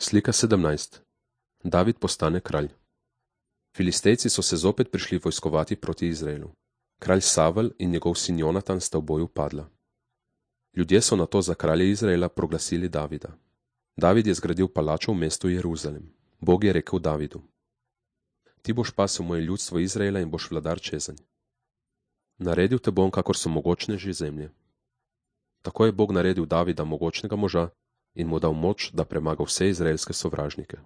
Slika 17. David postane kralj. Filistejci so se zopet prišli vojskovati proti Izraelu. Kralj Savel in njegov sin Jonatan sta v boju padla. Ljudje so nato za kralja Izraela proglasili Davida. David je zgradil palačo v mestu Jeruzalem. Bog je rekel Davidu: Ti boš pasel moje ljudstvo Izraela in boš vladar čezenj. Naredil te bom, kakor so mogočneži zemlje. Tako je Bog naredil Davida mogočnega moža in mu dal moč, da premaga vse izraelske sovražnike.